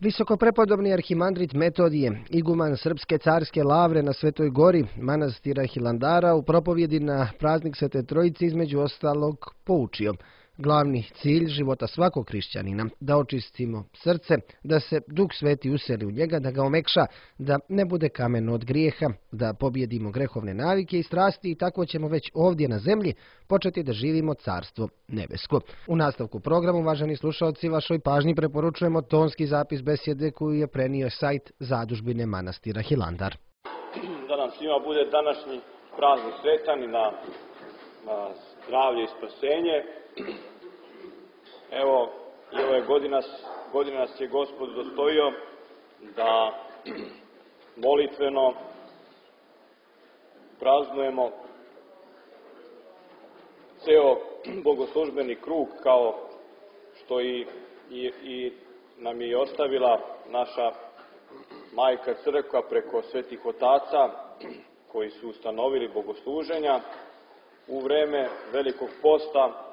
Visokoprepodobni arhimandrit Metodije, iguman Srpske carske lavre na Svetoj gori, manastira Hilandara, u propovjedi na praznik Svete Trojice između ostalog poučio: glavni cilj života svakog hrišćanina, da očistimo srce, da se Duh Sveti useli u njega, da ga omekša, da ne bude kameno od grijeha, da pobjedimo grehovne navike i strasti i tako ćemo već ovdje na zemlji početi da živimo carstvo nebesko. U nastavku programa, uvaženi slušalci, vašoj pažnji preporučujemo tonski zapis besjede koju je prenio sajt Zadužbine manastira Hilandar. Da nam svima bude današnji praznik sretan i na zdravlje i spasenje. Evo, i ove godine nas je Gospod udostojio da molitveno praznujemo ceo bogoslužbeni krug, kao što i nam je ostavila naša Majka Crkva preko svetih otaca koji su ustanovili bogosluženja. U vreme Velikog posta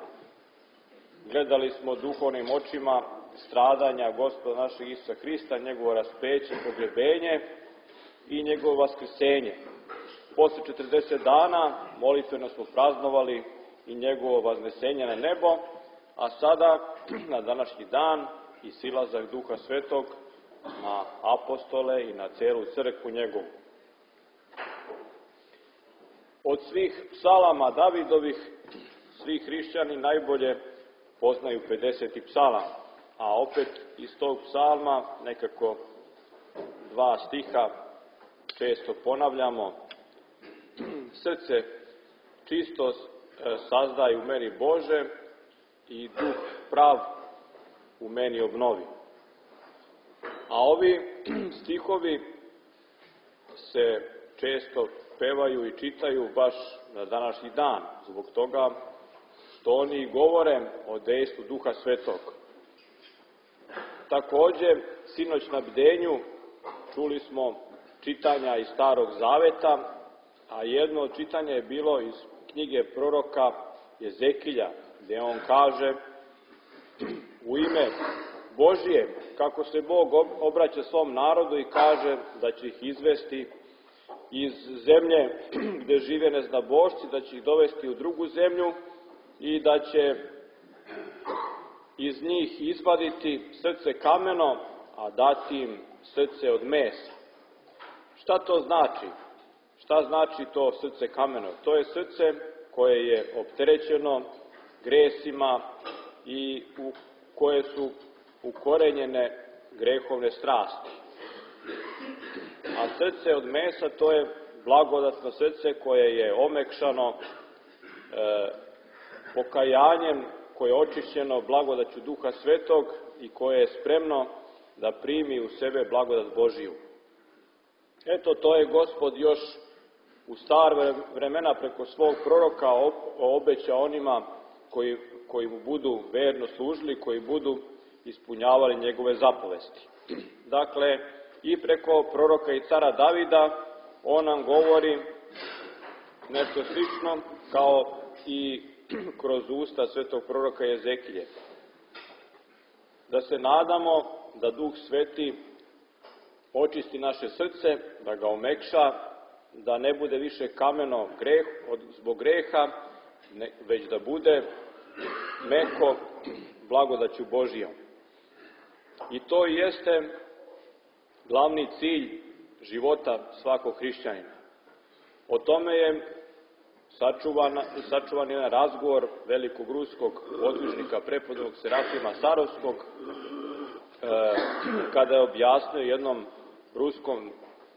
gledali smo duhovnim očima stradanja Gospoda našeg Isusa Hrista, njegovo raspeće, pogrebenje i njegovo vaskrsenje. Posle 40 dana molitveno smo praznovali i njegovo vaznesenje na nebo, a sada, na današnji dan, i silazak Duha Svetog na apostole i na celu crkvu njegovu. Od svih psalama Davidovih, svi hrišćani najbolje poznaju 50. psalam, a opet iz tog psalma nekako dva stiha često ponavljamo: srce čisto sazdaj u meni Bože i duh prav u meni obnovi. A ovi stihovi se često pevaju i čitaju baš na današnji dan, zbog toga što oni govore o dejstvu Duha Svetog. Takođe, sinoć na bdenju čuli smo čitanja iz Starog Zaveta, a jedno od čitanja je bilo iz knjige proroka Jezekilja, gde on kaže u ime Božije kako se Bog obraća svom narodu i kaže da će ih izvesti iz zemlje gde žive neznabošci, da će ih dovesti u drugu zemlju i da će iz njih izvaditi srce kameno, a dati im srce od mesa. Šta to znači? Šta znači to srce kameno? To je srce koje je opterećeno gresima i u koje su ukorenjene grehovne strasti. A srce od mesa, to je blagodatno srce koje je omekšano pokajanjem, koje je očišćeno blagodaću Duha Svetog i koje je spremno da primi u sebe blagodat Božiju. Eto, to je Gospod još u stara vremena preko svog proroka obećao onima koji mu budu verno služili, koji budu ispunjavali njegove zapovesti. Dakle, i preko proroka i cara Davida on nam govori nešto slično kao i kroz usta svetog proroka Jezekilje. Da se nadamo da Duh Sveti očisti naše srce, da ga omekša, da ne bude više kameno zbog greha, već da bude meko blagodaću Božijom. I to jeste glavni cilj života svakog hrišćanina. O tome je sačuvan jedan razgovor velikog ruskog podvižnika prepodobnog Serafima Sarovskog, kada je objasnio jednom ruskom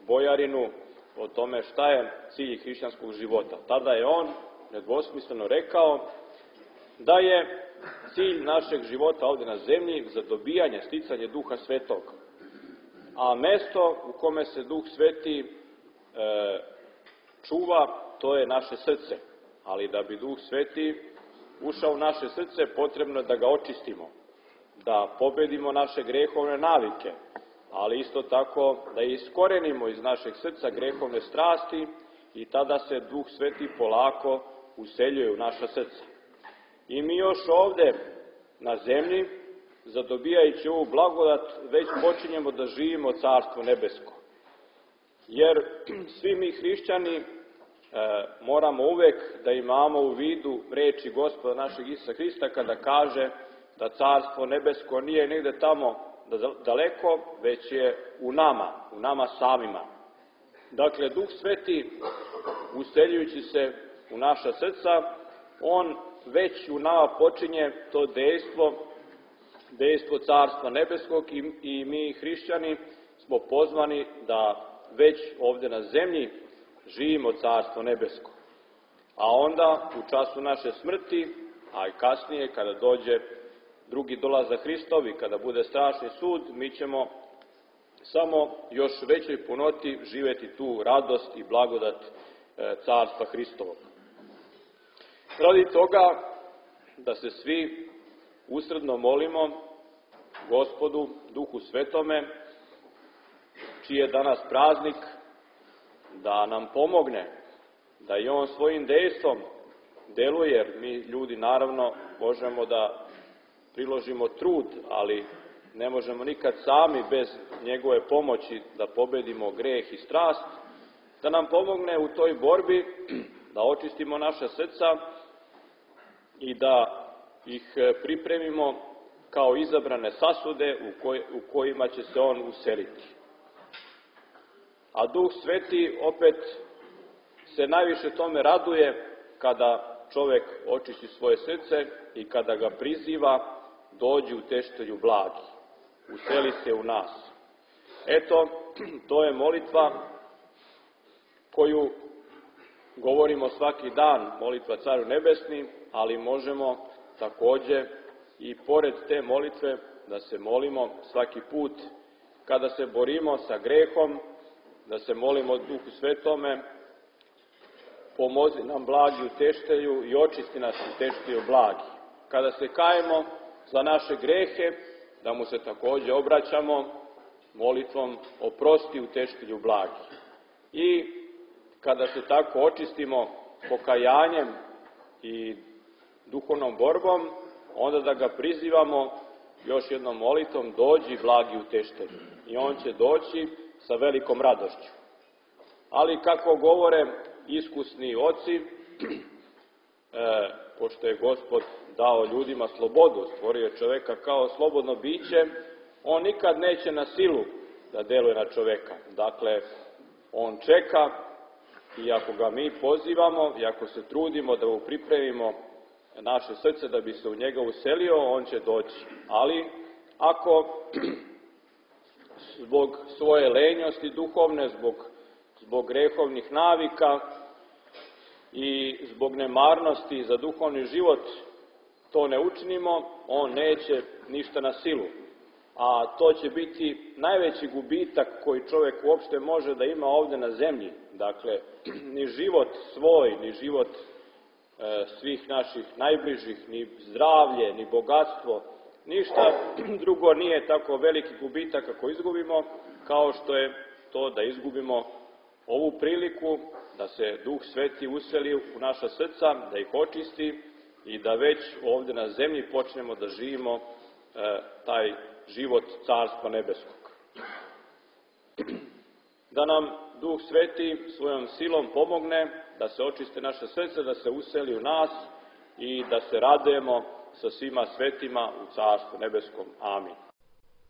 bojarinu o tome šta je cilj hrišćanskog života. Tada je on nedvosmisleno rekao da je cilj našeg života ovdje na zemlji zadobijanje, sticanje Duha Svetog. A mesto u kome se Duh Sveti čuva, to je naše srce. Ali da bi Duh Sveti ušao u naše srce, potrebno je da ga očistimo, da pobedimo naše grehovne navike, ali isto tako da iskorenimo iz našeg srca grehovne strasti i tada se Duh Sveti polako useljuje u naša srca. I mi još ovde na zemlji zadobijajući ovu blagodat, već počinjemo da živimo Carstvo nebesko. Jer svi mi hrišćani moramo uvek da imamo u vidu reči Gospoda našeg Isusa Hrista kada kaže da Carstvo nebesko nije negde tamo daleko, već je u nama samima. Dakle, Duh Sveti, useljujući se u naša srca, on već u nama počinje to dejstvo Carstva nebeskog i mi hrišćani smo pozvani da već ovde na zemlji živimo Carstvo nebesko. A onda u času naše smrti, a i kasnije kada dođe drugi dolazak Hristovi, kada bude strašni sud, mi ćemo samo još većoj punoti živeti tu radost i blagodat Carstva Hristovog. Radi toga da se svi usredno molimo Gospodu, Duhu Svetome, čiji je danas praznik, da nam pomogne, da i on svojim dejstvom deluje, jer mi ljudi naravno možemo da priložimo trud, ali ne možemo nikad sami bez njegove pomoći da pobedimo greh i strast, da nam pomogne u toj borbi, da očistimo naša srca i da ih pripremimo kao izabrane sasude u kojima će se on useliti. A Duh Sveti opet se najviše tome raduje kada čovek očisti svoje srce i kada ga priziva, dođi utešitelju blagi, useli se u nas. Eto, to je molitva koju govorimo svaki dan, molitva Caru Nebesni, ali možemo takođe i pored te molitve da se molimo svaki put kada se borimo sa grehom, da se molimo Duhu Svetome, pomozi nam blagi utešitelju i očisti nas utešitelju blagi. Kada se kajemo za naše grehe, da mu se takođe obraćamo molitvom oprosti utešitelju blagi. I kada se tako očistimo pokajanjem i duhovnom borbom, onda da ga prizivamo još jednom molitvom, dođi blagi utešitelju. I on će doći sa velikom radošću. Ali kako govore iskusni oci, pošto je Gospod dao ljudima slobodu, stvorio čoveka kao slobodno biće, on nikad neće na silu da deluje na čoveka. Dakle, on čeka i ako ga mi pozivamo i ako se trudimo da mu pripremimo naše srce da bi se u njega uselio, on će doći. Ali ako zbog svoje lenjosti duhovne, zbog grehovnih navika i zbog nemarnosti za duhovni život to ne učinimo, on neće ništa na silu. A to će biti najveći gubitak koji čovjek uopšte može da ima ovde na zemlji. Dakle, ni život svoj, ni život svih naših najbližih, ni zdravlje, ni bogatstvo, ništa drugo nije tako veliki gubitak ako izgubimo, kao što je to da izgubimo ovu priliku da se Duh Sveti useli u naša srca, da ih očisti i da već ovde na zemlji počnemo da živimo taj život Carstva nebeskog. Da nam Duh Sveti svojom silom pomogne da se očiste naše srce, da se useli u nas i da se radujemo sa svima svetima u Carstvu nebeskom. Amin.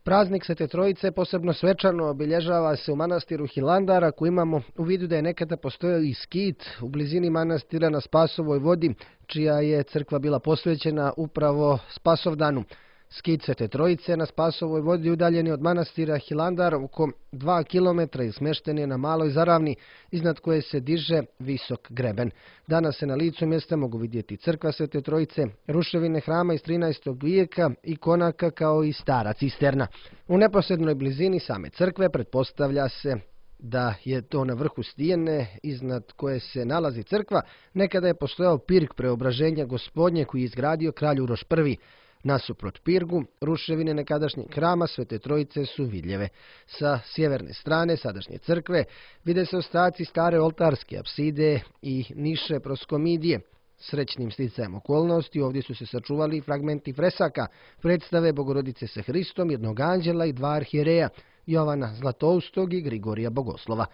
Praznik Svete Trojice posebno svečano obilježava se u manastiru Hilandar, ako imamo u vidu da je nekada postojao i skit u blizini manastira na Spasovoj vodi, čija je crkva bila posvećena upravo Spasovdanu. Skit Svete Trojice na Spasovoj vodi udaljen je od manastira Hilandar oko 2 km i smješten je na maloj zaravni, iznad koje se diže visok greben. Danas se na licu mjesta mogu vidjeti crkva Svete Trojice, ruševine hrama iz 13. vijeka, ikonaka kao i stara cisterna. U neposrednoj blizini same crkve pretpostavlja se da je to na vrhu stijene iznad koje se nalazi crkva. Nekada je postojao pirg Preobraženja Gospodnje koji je izgradio kralj Uroš I. Nasuprot pirgu, ruševine nekadašnjeg hrama Svete Trojice su vidljive. Sa sjeverne strane sadašnje crkve vide se ostaci stare oltarske apside i niše proskomidije. Srećnim sticajem okolnosti ovdje su se sačuvali fragmenti fresaka, predstave Bogorodice sa Hristom, jednog anđela i dva arhijereja, Jovana Zlatoustog i Grigorija Bogoslova.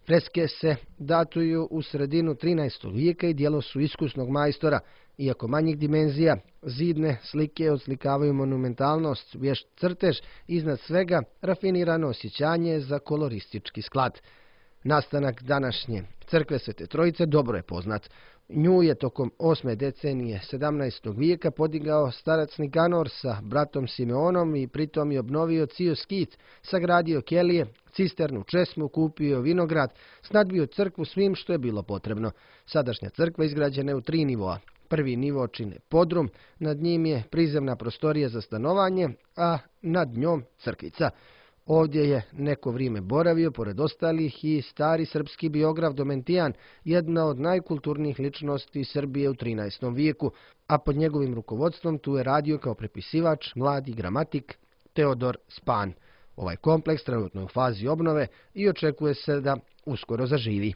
Freske se datuju u sredinu 13. vijeka i djelo su iskusnog majstora. Iako manjih dimenzija, zidne slike odslikavaju monumentalnost, vješt crtež, iznad svega rafinirano osjećanje za koloristički sklad. Nastanak današnje crkve Svete Trojice dobro je poznat. Nju je tokom 8. decenije 17. vijeka podigao starac Nikanor sa bratom Simeonom i pritom je obnovio cijel skit, sagradio kelije, cisternu, česmu, kupio vinograd, snadbio crkvu svim što je bilo potrebno. Sadašnja crkva izgrađena je u 3 nivoa. Prvi nivo čine podrum, nad njim je prizemna prostorija za stanovanje, a nad njom crkvica. Ovdje je neko vrijeme boravio, pored ostalih, i stari srpski biograf Domentijan, jedna od najkulturnijih ličnosti Srbije u 13. vijeku, a pod njegovim rukovodstvom tu je radio kao prepisivač mladi gramatik Teodor Span. Ovaj kompleks trenutno je u fazi obnove i očekuje se da uskoro zaživi.